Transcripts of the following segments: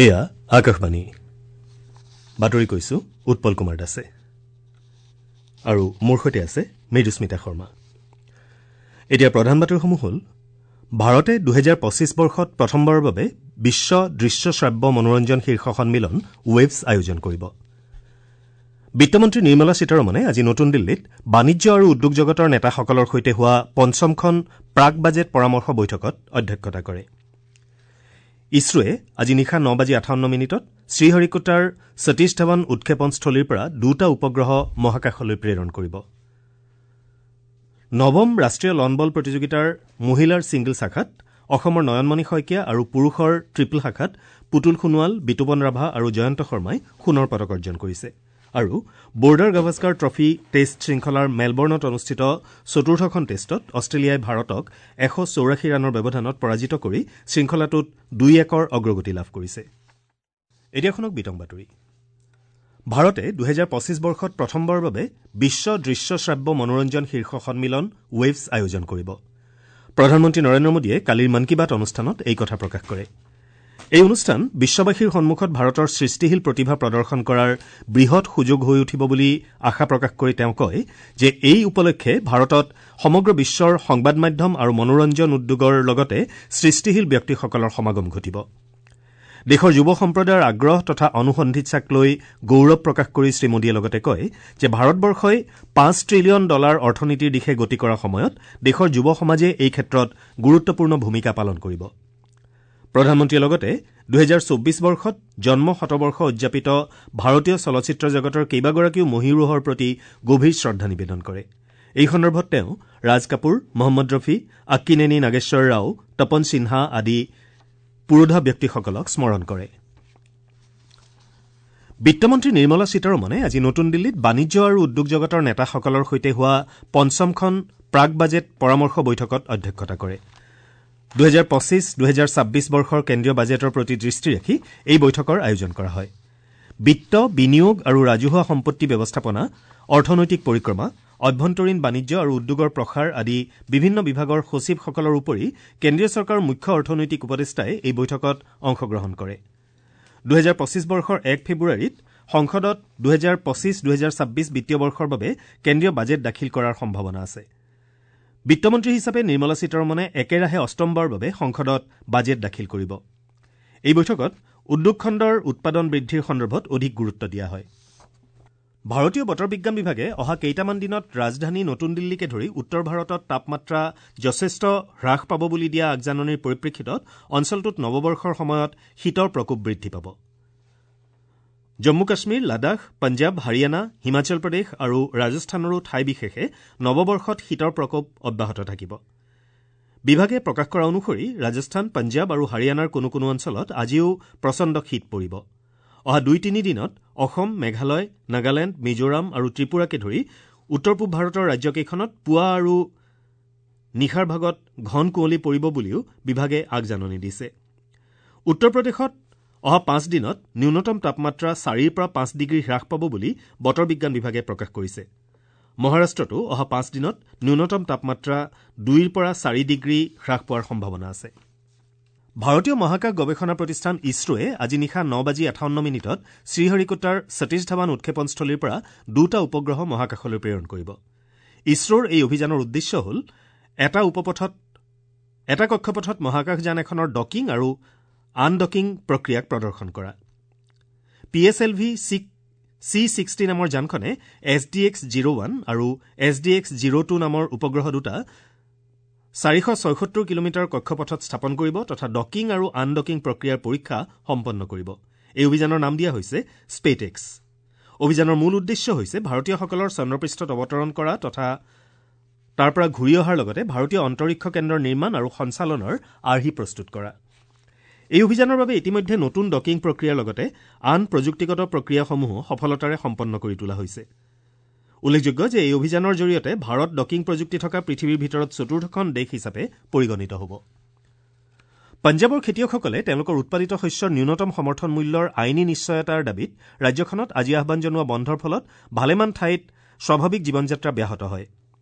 এয়া আকাশবাণী বাতৰি কৈছো উৎপল কুমাৰ দাসে আৰু মোৰ সৈতে আছে মৃদুস্মিতা শৰ্মা। এতিয়া প্ৰধান বাতৰিসমূহ হ'ল ভাৰতে 2025 বৰ্ষত প্ৰথমবাৰৰ বাবে বিশ্ব দৃশ্য শ্ৰাব্য মনোৰঞ্জন শীৰ্ষ সন্মিলন ৱেভছ আয়োজন কৰিব। বিত্তমন্ত্ৰী নিৰ্মলা সীতাৰমণে আজি নতুন দিল্লীত বাণিজ্য আৰু উদ্যোগ জগতৰ নেতাসকলৰ সৈতে হোৱা পঞ্চমখন প্ৰাক বাজেট পৰামৰ্শ বৈঠকত অধ্যক্ষতা কৰে। ইছৰোৱে আজি নিশা 9:58 শ্ৰীহৰিকোটাৰ সতীশ ধাৱান উৎক্ষেপণস্থলীৰ পৰা দুটা উপগ্ৰহ মহাকাশলৈ প্ৰেৰণ কৰিব। নৱম ৰাষ্ট্ৰীয় লন বল প্ৰতিযোগিতাৰ মহিলাৰ ছিংগল শাখাত অসমৰ নয়নমণি শইকীয়া আৰু পুৰুষৰ ট্ৰিপল শাখাত পুতুল সোণোৱাল, বিতুপন ৰাভা আৰু জয়ন্ত শৰ্মাই সোণৰ পদক অৰ্জন কৰিছে। আৰু বৰ্ডাৰ গাভাস্কাৰ ট্ৰফী টেষ্ট শৃংখলাৰ মেলবৰ্ণত অনুষ্ঠিত চতুৰ্থখন টেষ্টত অষ্ট্ৰেলিয়াই ভাৰতক 184 ৰানৰ ব্যৱধানত পৰাজিত কৰি শৃংখলাটোত 2-1 অগ্ৰগতি লাভ কৰিছে। এতিয়া শুনক বিতং বাতৰি। ভাৰতে 2025 বৰ্ষত প্ৰথমবাৰৰ বাবে বিশ্ব দৃশ্য শ্ৰাব্য মনোৰঞ্জন শীৰ্ষ সন্মিলন ৱেভছ আয়োজন কৰিব। প্ৰধানমন্ত্ৰী নৰেন্দ্ৰ মোদীয়ে কালিৰ মন কী বাত অনুষ্ঠানত এই কথা প্ৰকাশ কৰে। এই অনুষ্ঠান বিশ্ববাসীৰ সন্মুখত ভাৰতৰ সৃষ্টিশীল প্ৰতিভা প্ৰদৰ্শন কৰাৰ বৃহৎ সুযোগ হৈ উঠিব বুলি আশা প্ৰকাশ কৰি তেওঁ কয় যে এই উপলক্ষে ভাৰতত সমগ্ৰ বিশ্বৰ সংবাদ মাধ্যম আৰু মনোৰঞ্জন উদ্যোগৰ লগতে সৃষ্টিশীল ব্যক্তিসকলৰ সমাগম ঘটিব। দেশৰ যুৱ সম্প্ৰদায়ৰ আগ্ৰহ তথা অনুসন্ধিৎসাক লৈ গৌৰৱ প্ৰকাশ কৰি শ্ৰীমোদীয়ে লগতে কয় যে ভাৰতবৰ্ষই $5 ট্ৰিলিয়ন অৰ্থনীতিৰ দিশে গতি কৰাৰ সময়ত দেশৰ যুৱ সমাজে এই ক্ষেত্ৰত গুৰুত্বপূৰ্ণ ভূমিকা পালন কৰিব। প্ৰধানমন্ত্ৰীয়ে লগতে 2024 বৰ্ষত জন্ম শতবৰ্ষ উদযাপিত ভাৰতীয় চলচ্চিত্ৰ জগতৰ কেইবাগৰাকীও মহীৰূহৰ প্ৰতি গভীৰ শ্ৰদ্ধা নিবেদন কৰে। এই সন্দৰ্ভত তেওঁ ৰাজ কাপুৰ, মহম্মদ ৰফি, আক্কিনেনি নাগেশ্বৰ ৰাও, তপন সিনহা আদি পুৰোধা ব্যক্তিসকলক স্মৰণ কৰে। বিত্তমন্ত্ৰী নিৰ্মলা সীতাৰমণে আজি নতুন দিল্লীত বাণিজ্য আৰু উদ্যোগ জগতৰ নেতাসকলৰ সৈতে হোৱা পঞ্চমখন প্ৰাক বাজেট পৰামৰ্শ বৈঠকত অধ্যক্ষতা কৰে। 2025-2026 বৰ্ষৰ কেন্দ্ৰীয় বাজেটৰ প্ৰতি দৃষ্টি ৰাখি এই বৈঠকৰ আয়োজন কৰা হয়। বিত্ত, বিনিয়োগ আৰু ৰাজহুৱা সম্পত্তি ব্যৱস্থাপনা, অৰ্থনৈতিক পৰিক্ৰমা, অভ্যন্তৰীণ বাণিজ্য আৰু উদ্যোগৰ প্ৰসাৰ আদি বিভিন্ন বিভাগৰ সচিবসকলৰ উপৰি কেন্দ্ৰীয় চৰকাৰৰ মুখ্য অৰ্থনৈতিক উপদেষ্টাই এই বৈঠকত অংশগ্ৰহণ কৰে। 2025 বৰ্ষৰ 1 ফেব্ৰুৱাৰীত সংসদত 2025-2026 বিত্তীয় বৰ্ষৰ বাবে কেন্দ্ৰীয় বাজেট দাখিল কৰাৰ সম্ভাৱনা আছে। বিত্তমন্ত্ৰী হিচাপে নিৰ্মলা সীতাৰমণে একেৰাহে অষ্টমবাৰৰ বাবে সংসদত বাজেট দাখিল কৰিব। এই বৈঠকত উদ্যোগ খণ্ডৰ উৎপাদন বৃদ্ধিৰ সন্দৰ্ভত অধিক গুৰুত্ব দিয়া হয়। ভাৰতীয় বতৰ বিজ্ঞান বিভাগে অহা কেইটামান দিনত ৰাজধানী নতুন দিল্লীকে ধৰি উত্তৰ ভাৰতত তাপমাত্ৰা যথেষ্ট হ্ৰাস পাব বুলি দিয়া আগজাননীৰ পৰিপ্ৰেক্ষিতত অঞ্চলটোত নৱবৰ্ষৰ সময়ত শীতৰ প্ৰকোপ বৃদ্ধি পাব। জম্মু কাশ্মীৰ, লাডাখ, পঞ্জাৱ, হাৰিয়ানা, হিমাচল প্ৰদেশ আৰু ৰাজস্থানৰো ঠাই বিশেষে নৱবৰ্ষত শীতৰ প্ৰকোপ অব্যাহত থাকিব। বিভাগে প্ৰকাশ কৰা অনুসৰি ৰাজস্থান, পঞ্জাৱ আৰু হাৰিয়ানাৰ কোনো কোনো অঞ্চলত আজিও প্ৰচণ্ড শীত পৰিব। অহা 2-3 দিনত অসম, মেঘালয়, নাগালেণ্ড, মিজোৰাম আৰু ত্ৰিপুৰাকে ধৰি উত্তৰ পূব ভাৰতৰ ৰাজ্যকেইখনত পুৱা আৰু নিশাৰ ভাগত ঘন কুঁৱলী পৰিব বুলিও বিভাগে আগজাননী দিছে। উত্তৰ প্ৰদেশত অহা 5 দিনত ন্যূনতম তাপমাত্ৰা 4ৰ পৰা 5 ডিগ্ৰী হ্ৰাস পাব বুলি বতৰ বিজ্ঞান বিভাগে প্ৰকাশ কৰিছে। মহাৰাষ্ট্ৰতো অহা 5 দিনত ন্যূনতম তাপমাত্ৰা 2ৰ পৰা 4 ডিগ্ৰী হ্ৰাস পোৱাৰ সম্ভাৱনা আছে। ভাৰতীয় মহাকাশ গৱেষণা প্ৰতিষ্ঠান ইছৰোৱে আজি নিশা 9:58 শ্ৰীহৰিকোটাৰ সতীশ ধাৱান উৎক্ষেপণস্থলীৰ পৰা দুটা উপগ্ৰহ মহাকাশলৈ প্ৰেৰণ কৰিব। ইছৰোৰ এই অভিযানৰ উদ্দেশ্য হ'ল এটা কক্ষপথত মহাকাশযান এখনৰ ডকিং আৰু আনডকিং প্ৰক্ৰিয়াক প্ৰদৰ্শন কৰা। PSLV C-60 নামৰ যানখনে SDX-01 আৰু SDX-02 নামৰ উপগ্ৰহ দুটা 476 কিলোমিটাৰ কক্ষপথত স্থাপন কৰিব তথা ডকিং আৰু আনডকিং প্ৰক্ৰিয়াৰ পৰীক্ষা সম্পন্ন কৰিব। এই অভিযানৰ নাম দিয়া হৈছে স্পেটেক্স। অভিযানৰ মূল উদ্দেশ্য হৈছে ভাৰতীয়সকলৰ চন্দ্ৰপৃষ্ঠত অৱতৰণ কৰা তথা তাৰ পৰা ঘূৰি অহাৰ লগতে ভাৰতীয় অন্তৰীক্ষ কেন্দ্ৰৰ নিৰ্মাণ আৰু সঞ্চালনৰ আৰ্হি প্ৰস্তুত কৰা। এই অভিযানৰ বাবে ইতিমধ্যে নতুন ডকিং প্ৰক্ৰিয়াৰ লগতে আন প্ৰযুক্তিগত প্ৰক্ৰিয়াসমূহো সফলতাৰে সম্পন্ন কৰি তোলা হৈছে। উল্লেখযোগ্য যে এই অভিযানৰ জৰিয়তে ভাৰত ডকিং প্ৰযুক্তি থকা পৃথিৱীৰ ভিতৰত চতুৰ্থখন দেশ হিচাপে পৰিগণিত হ'ব। পঞ্জাৱৰ খেতিয়কসকলে তেওঁলোকৰ উৎপাদিত শস্যৰ ন্যূনতম সমৰ্থন মূল্যৰ আইনী নিশ্চয়তাৰ দাবীত ৰাজ্যখনত আজি আহ্বান জনোৱা বন্ধৰ ফলত ভালেমান ঠাইত স্বাভাৱিক জীৱনযাত্ৰা ব্যাহত হয়।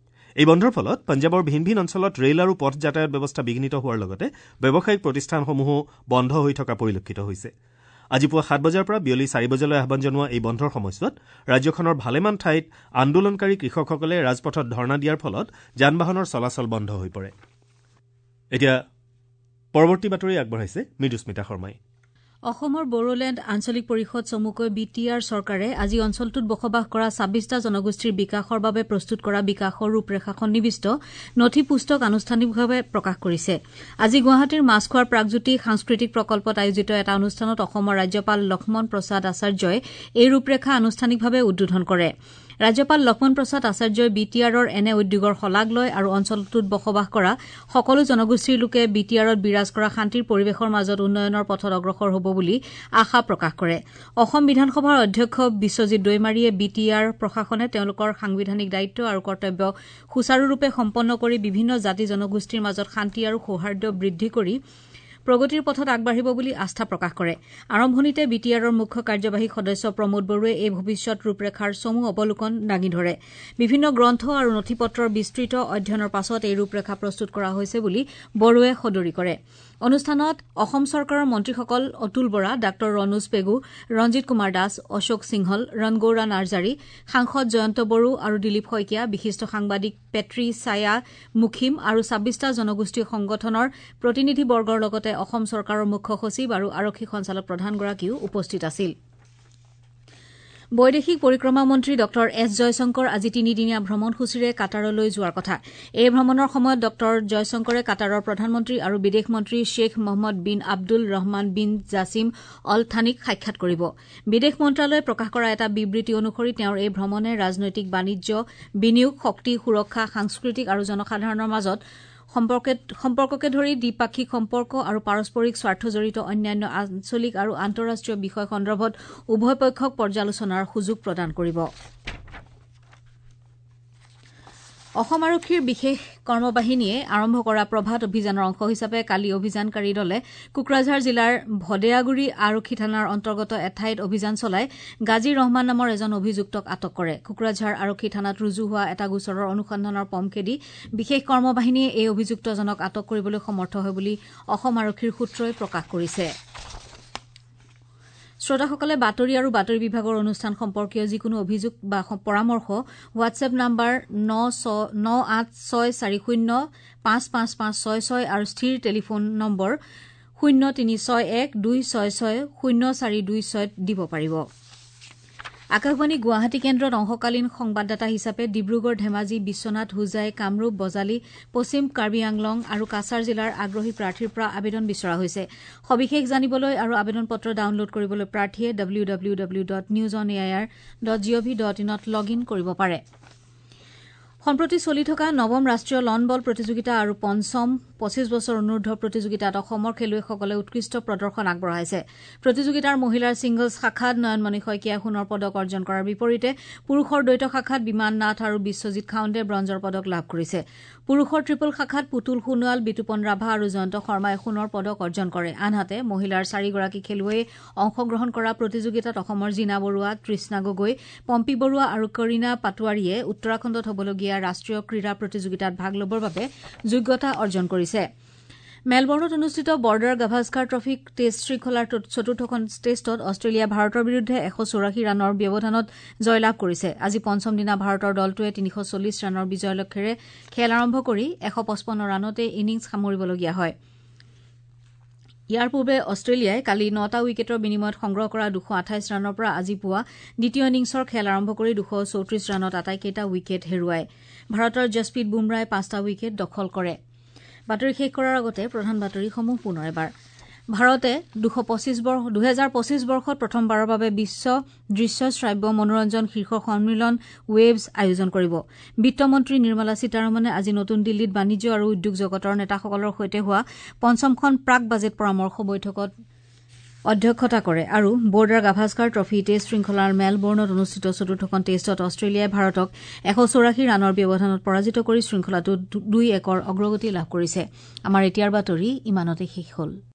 এই বন্ধৰ ফলত পঞ্জাৱৰ ভিন ভিন অঞ্চলত ৰেল আৰু পথ যাতায়াত ব্যৱস্থা বিঘ্নিত হোৱাৰ লগতে ব্যৱসায়িক প্ৰতিষ্ঠানসমূহো বন্ধ হৈ থকা পৰিলক্ষিত হৈছে। আজি পুৱা ৭ বজাৰ পৰা বিয়লি ৪ বজালৈ আহ্বান জনোৱা এই বন্ধৰ সময়ছোৱাত ৰাজ্যখনৰ ভালেমান ঠাইত আন্দোলনকাৰী কৃষকসকলে ৰাজপথত ধৰ্ণা দিয়াৰ ফলত যান বাহনৰ চলাচল বন্ধ হৈ পৰে। এতিয়া পৰৱৰ্তী বাতৰি আগবঢ়াইছে মৃদুস্মিতা শৰ্মাই। অসমৰ বড়োলেণ্ড আঞ্চলিক পৰিষদ চমুকৈ বি টি আৰ চৰকাৰে আজি অঞ্চলটোত বসবাস কৰা ২৬টা জনগোষ্ঠীৰ বিকাশৰ বাবে প্ৰস্তুত কৰা বিকাশৰ ৰূপৰেখা সন্নিৱিষ্ট নথি পুস্তক আনুষ্ঠানিকভাৱে প্ৰকাশ কৰিছে। আজি গুৱাহাটীৰ মাছখোৱাৰ প্ৰাগজ্যোতি সাংস্কৃতিক প্ৰকল্পত আয়োজিত এটা অনুষ্ঠানত অসমৰ ৰাজ্যপাল লক্ষ্মণ প্ৰসাদ আচাৰ্যই এই ৰূপৰেখা আনুষ্ঠানিকভাৱে উদ্বোধন কৰে। ৰাজ্যপাল লক্ষ্মণ প্ৰসাদ আচাৰ্যই বি টি আৰৰ এনে উদ্যোগৰ শলাগ লয় আৰু অঞ্চলটোত বসবাস কৰা সকলো জনগোষ্ঠীৰ লোকে বি টি আৰত বিৰাজ কৰা শান্তিৰ পৰিৱেশৰ মাজত উন্নয়নৰ পথত অগ্ৰসৰ হ'ব বুলি আশা প্ৰকাশ কৰে। অসম বিধানসভাৰ অধ্যক্ষ বিশ্বজিৎ দৈমাৰীয়ে বি টি আৰ প্ৰশাসনে তেওঁলোকৰ সাংবিধানিক দায়িত্ব আৰু কৰ্তব্য সুচাৰুৰূপে সম্পন্ন কৰি বিভিন্ন জাতি জনগোষ্ঠীৰ মাজত শান্তি আৰু সৌহাৰ্দ্য বৃদ্ধি কৰি প্ৰগতিৰ পথত আগবাঢ়িব বুলি আস্থা প্ৰকাশ কৰে। আৰম্ভণিতে বি টি আৰৰ মুখ্য কাৰ্যবাহী সদস্য প্ৰমোদ বড়োৱে এই ভৱিষ্যত ৰূপৰেখাৰ চমু অৱলোকন দাঙি ধৰে। বিভিন্ন গ্ৰন্থ আৰু নথিপত্ৰৰ বিস্তৃত অধ্যয়নৰ পাছত এই ৰূপৰেখা প্ৰস্তুত কৰা হৈছে বুলি বড়োৱে সদৰি কৰে। অনুষ্ঠানত অসম চৰকাৰৰ মন্ত্ৰীসকল অতুল বৰা, ডাঃ ৰণোজ পেগু, ৰঞ্জিত কুমাৰ দাস, অশোক সিংহল, ৰণগৌৰা নাৰ্জাৰী, সাংসদ জয়ন্ত বড়ো আৰু দিলীপ শইকীয়া, বিশিষ্ট সাংবাদিক পেট্ৰি ছায়া মুখিম আৰু ২৬টা জনগোষ্ঠীয় সংগঠনৰ প্ৰতিনিধিবৰ্গৰ লগতে অসম চৰকাৰৰ মুখ্য সচিব আৰু আৰক্ষী সঞ্চালক প্ৰধানগৰাকীও উপস্থিত আছিল। বৈদেশিক পৰিক্ৰমা মন্ত্ৰী ডঃ এছ জয়শংকৰ আজি তিনিদিনীয়া ভ্ৰমণসূচীৰে কাটাৰলৈ যোৱাৰ কথা। এই ভ্ৰমণৰ সময়ত ডঃ জয়শংকৰে কাটাৰৰ প্ৰধানমন্ত্ৰী আৰু বিদেশ মন্ত্ৰী Sheikh Mohammed bin Abdul Rahman bin Jassim Al থানিক সাক্ষাৎ কৰিব। বিদেশ মন্ত্ৰালয়ে প্ৰকাশ কৰা এটা বিবৃতি অনুসৰি তেওঁৰ এই ভ্ৰমণে ৰাজনৈতিক, বাণিজ্য, বিনিয়োগ, শক্তি, সুৰক্ষা, সাংস্কৃতিক আৰু জনসাধাৰণৰ মাজত সম্পৰ্ককে ধৰি দ্বিপাক্ষিক সম্পৰ্ক আৰু পাৰস্পৰিক স্বাৰ্থজড়িত অন্যান্য আঞ্চলিক আৰু আন্তঃৰাষ্ট্ৰীয় বিষয় সন্দৰ্ভত উভয় পক্ষক পৰ্যালোচনাৰ সুযোগ প্ৰদান কৰিব। অসম আৰক্ষীৰ বিশেষ কৰ্মবাহিনীয়ে আৰম্ভ কৰা প্ৰভাত অভিযানৰ অংশ হিচাপে কালি অভিযানকাৰী দলে কোকৰাঝাৰ জিলাৰ ভদেয়াগুৰি আৰক্ষী থানাৰ অন্তৰ্গত এঠাইত অভিযান চলাই গাজী ৰহমান নামৰ এজন অভিযুক্তক আটক কৰে। কোকৰাঝাৰ আৰক্ষী থানাত ৰুজু হোৱা এটা গোচৰৰ অনুসন্ধানৰ পম খেদি বিশেষ কৰ্মবাহিনীয়ে এই অভিযুক্তজনক আটক কৰিবলৈ সমৰ্থ হয় বুলি অসম আৰক্ষীৰ সূত্ৰই প্ৰকাশ কৰিছে। শ্ৰোতাসকলে বাতৰি আৰু বাতৰি বিভাগৰ অনুষ্ঠান সম্পৰ্কীয় যিকোনো অভিযোগ বা পৰামৰ্শ হোৱাটছএপ নাম্বাৰ 9864055566 আৰু স্থিৰ টেলিফোন নম্বৰ 0361 266 0426 দিব পাৰিব। আকাশবাণী গুৱাহাটী কেন্দ্ৰত অংশকালীন সংবাদদাতা হিচাপে ডিব্ৰুগড়, ধেমাজি, বিশ্বনাথ, হোজাই, কামৰূপ, বজালী, পশ্চিম কাৰ্বি আংলং আৰু কাছাৰ জিলাৰ আগ্ৰহী প্ৰাৰ্থীৰ পৰা আবেদন বিচৰা হৈছে। সবিশেষ জানিবলৈ আৰু আবেদন পত্ৰ ডাউনলোড কৰিবলৈ প্ৰাৰ্থীয়ে W W W dot news on A I R dot G O V dot ইনত log in কৰিব পাৰে। সম্প্ৰতি চলি থকা নৱম ৰাষ্ট্ৰীয় লন বল প্ৰতিযোগিতা আৰু পঞ্চম ২৫ বছৰ অনুৰ্ধ প্ৰতিযোগিতাত অসমৰ খেলুৱৈসকলে উৎকৃষ্ট প্ৰদৰ্শন আগবঢ়াইছে। প্ৰতিযোগিতাৰ মহিলাৰ ছিংগলছ শাখাত নয়নমণি শইকীয়াই সোণৰ পদক অৰ্জন কৰাৰ বিপৰীতে পুৰুষৰ দ্বৈত শাখাত বিমান নাথ আৰু বিশ্বজিৎ খাউণ্ডে ব্ৰঞ্জৰ পদক লাভ কৰিছে। পুৰুষৰ ট্ৰিপল শাখাত পুতুল সোণোৱাল, বিতুপন ৰাভা আৰু জয়ন্ত শৰ্মাই সোণৰ পদক অৰ্জন কৰে। আনহাতে মহিলাৰ চাৰিগৰাকী খেলুৱৈয়ে অংশগ্ৰহণ কৰা প্ৰতিযোগিতাত অসমৰ জীনা বৰুৱা, তৃষ্ণা গগৈ, পম্পী বৰুৱা আৰু কৰিণা পাটোৱাৰীয়ে উত্তৰাখণ্ডত হ'বলগীয়া ৰাষ্ট্ৰীয় ক্ৰীড়া প্ৰতিযোগিতাত ভাগ ল'বৰ বাবে যোগ্যতা অৰ্জন কৰিছে। মেলবৰ্ণত অনুষ্ঠিত বৰ্ডাৰ গাভাস্কাৰ ট্ৰফী টেষ্ট শৃংখলাৰ চতুৰ্থখন টেষ্টত অষ্ট্ৰেলিয়া ভাৰতৰ বিৰুদ্ধে ১৮৪ ৰানৰ ব্যৱধানত জয়লাভ কৰিছে। আজি পঞ্চম দিনা ভাৰতৰ দলটোৱে ৩৪০ ৰানৰ বিজয় লক্ষ্যেৰে খেল আৰম্ভ কৰি ১৫৫ ৰানতে ইনিংছ সামৰিবলগীয়া হয়। ইয়াৰ পূৰ্বে অষ্ট্ৰেলিয়াই কালি ৯টা উইকেটৰ বিনিময়ত সংগ্ৰহ কৰা ২২৮ ৰানৰ পৰা আজি পুৱা দ্বিতীয় ইনিংছৰ খেল আৰম্ভ কৰি ২৩৪ ৰানত আটাইকেইটা উইকেট হেৰুৱায়। ভাৰতৰ জছপ্ৰীত বুমৰাহই ৫টা উইকেট দখল কৰে। বাতৰি শেষ কৰাৰ আগতে প্ৰধান বাতৰিসমূহ পুনৰ এবাৰ। ভাৰতে ২০২৫ বৰ্ষত প্ৰথমবাৰৰ বাবে বিশ্ব দৃশ্য শ্ৰাব্য মনোৰঞ্জন শীৰ্ষ সন্মিলন ৱেভছ আয়োজন কৰিব। বিত্তমন্ত্ৰী নিৰ্মলা সীতাৰমণে আজি নতুন দিল্লীত বাণিজ্য আৰু উদ্যোগ জগতৰ নেতাসকলৰ সৈতে হোৱা পঞ্চমখন প্ৰাক বাজেট পৰামৰ্শ বৈঠকত অধ্যক্ষতা কৰে আৰু বৰ্ডাৰ গাভাস্কাৰ ট্ৰফী টেষ্ট শৃংখলাৰ মেলবৰ্ণত অনুষ্ঠিত চতুৰ্থখন টেষ্টত অষ্ট্ৰেলিয়াই ভাৰতক ১৮৪ ৰানৰ ব্যৱধানত পৰাজিত কৰি শৃংখলাটোত ২-১ অগ্ৰগতি লাভ কৰিছে। আমাৰ এতিয়াৰ বাতৰি ইমানতে শেষ হ'ল।